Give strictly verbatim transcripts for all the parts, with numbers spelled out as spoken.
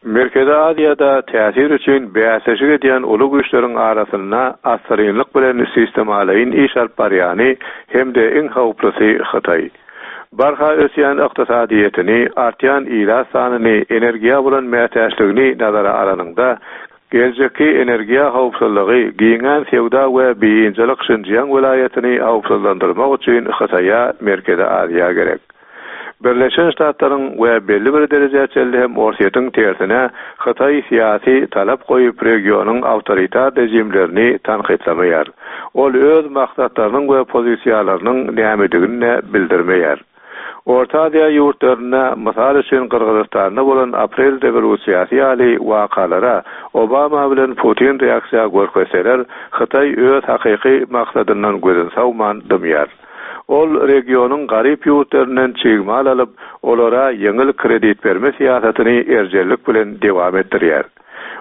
Merkezi Aziýada täsir üçin bäsleşik edýän uly güýçleriň arasynda assyrynlyk bilen sistemalaýyn iş alyp barýany hem-de iň howplusy Hytaý. Barha ösýän ykdysadyýetini, artýan ilat sanyny, energiýa bolan mätäçligini nazara alanyňda, geljekki energiýa howpsuzlygy, giňän söwda we biynjalyk Şinjiang welaýatyny howpsuzlandyrmak üçin Hytaýa Merkezi Aziýa gerek. Birleşen Ştatlaryň we belli bir derejä çenli hem Orsýetiň tersine Hytaý syýasy talap goýup regionyň awtoritar rejimlerini tankytlamaýar. Ol öz maksatlarynyň we pozisiýalarynyň nämedigini bildirmeýär. Orta Aziýa ýurtlarynda mysal üçin Gyrgyzystanda bolan aprel rewolýusiýasy ýaly wakalara Obama bilen Putin reaksiýa görkezseler, Hytaý öz hakyky maksadyndan gözün sawman dymýar. Ol regionyň garyp ýurtlaryndan çig mal alyp, olara ýeňil kredit berme syýasatyny erjellik bilen dowam etdirýär.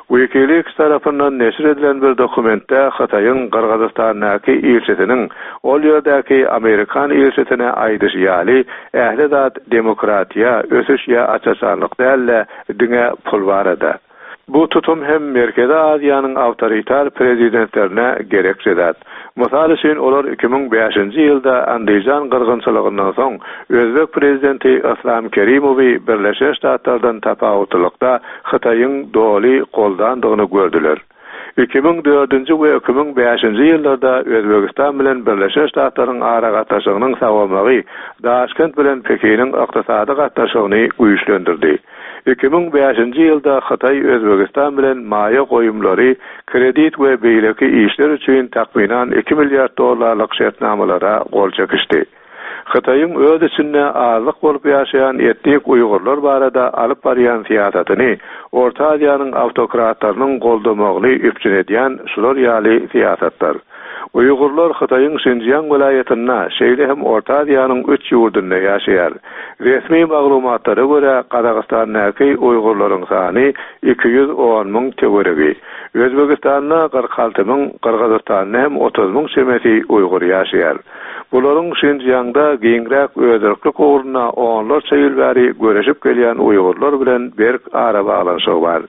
WikiLeaks tarapyndan neşir edilen bir dokumentde Hytaýyň Gyrgyzystandaky ilçisiniň ol ýerdäki Amerikan ilçisine aýdyşy ýaly, ähli zat demokratiýa, ösüş ýa aç-açanlyk däl-de, diňe pul barada. Bu tutum hem Merkezi Aziýanyň awtoritar prezidentlerine gerekli zat. Mysal üçin olar iki müň bäşinji ýylda Andijan gyrgynçylygyndan soň Özbek prezidenti Islam Kerimowy Birleşen Ştatlardan tapawutlylykda Hytaýyň doly goldandygyny gördüler. Iki müň dördünji we iki müň bäşinji ýyllarda Özbegistan bilen Birleşen Ştatlaryň aragatnaşygynyň sawamagy Daşkent bilen Pekiniň ykdysady gatnaşygyny güýçlendirdi. Iki müň bäşinji ýylda Hytaý Özbegistan bilen maýa goýumlary, kredit we beýleki işler üçin takmynan iki milliard dollarlyk şertnamalara gol çekişdi. Hytaýyň öz içinde azlyk bolup ýaşaýan etnik Uýgurlar barada alyp barýan syýasatyny Orta Aziýanyň awtokratlarynyň goldamagyny üpjün edýän şular ýaly syýasatlar. Uýgurlar Hytaýyň Şinjiang welaýatynda, şeýle hem Orta Aziýanyň üç ýurdunda ýaşaýar. Resmi maglumatlara görä Gazagystandaky Uýgurlaryň sany iki ýüz on müň töweregi. Özbegistanda kyrk alty müň, Gyrgyzystanda hem otuz müň çemesi Uýgur ýaşaýar. Bularyň Şinjiangda giňräk özerklik ugrunda onlarça ýyl bäri göreşip gelýän Uýgurlar bilen berk arabaglanyşygy bar.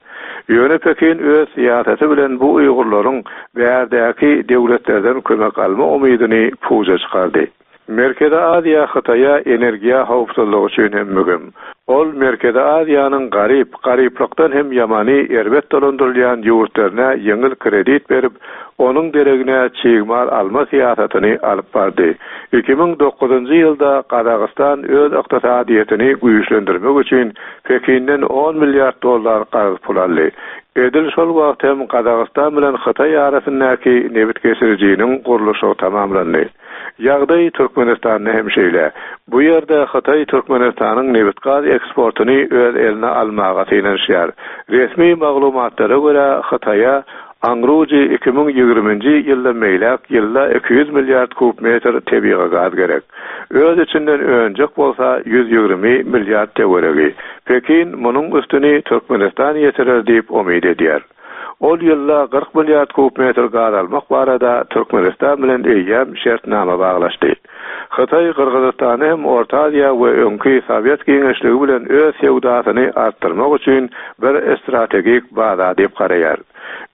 Ýöne Pekin öz syýasaty bilen bu Uýgurlaryň bärdäki döwletlerden kömek alma umydyny puja çykardy. Merkezi Aziýa Hytaýa energiýa howpsuzlygy üçin hem möhüm. Ol Merkezi Aziýanyň garyp, garyplykdan hem ýamany erbet dolandyrylýan ýurtlaryna ýeňil kredit berip, onuň deregine çig mal alma syýasatyny alyp bardy. Iki müň dokuzynjy ýylda Gazagystan öz ykdysadyýetini güýçlendirmek üçin Pekinden on milliard dollar karz pul aldy. Edil şol wagt hem Gazagystan bilen Hytaý arasyndaky nebit geçirijiniň gurluşygy tamamlandy. Ýagdaý Türkmenistanda hem şeýle. Bu ýerde Hytaý Türkmenistanyň nebit-gaz eksportyny öz eline almaga synanyşýar. Resmi maglumatlara görä Hytaýa aňrujy iki müň ýigriminji ýylda meýläk ýylda iki ýüz milliard kub metr tebigy gaz gerek. Öz içinden önjek bolsa ýüz ýigrimi milliard töweregi. Pekin munuň üstüni Türkmenistan ýetirer diýip umyt edýär. Ol ýylda kyrk milliard kub metr gaz almak barada Türkmenistan bilen eýýäm şertnama baglaşdy. Hytaý Gyrgyzystany hem Orta Aziýa we öňki Sowet giňişligi bilen öz söwdasyny artdyrmak üçin bir strategik baza diýip garaýar.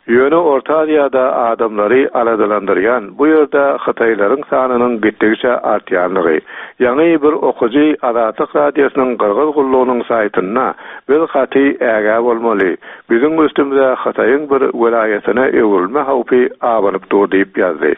Ýöne Orta Aziýada adamlary aladalandyrýan bu ýerde Hytaýlaryň sanynyň gitdigiçe artýanlygy. Ýaňy bir okujy Azatlyk Radiosynyň Gyrgyz gullugynyň saýtynda biz gaty ägä bolmaly. Biziň üstümize Hytaýyň bir welaýatyna öwrülme howpy abanyp dur diýip ýazdy.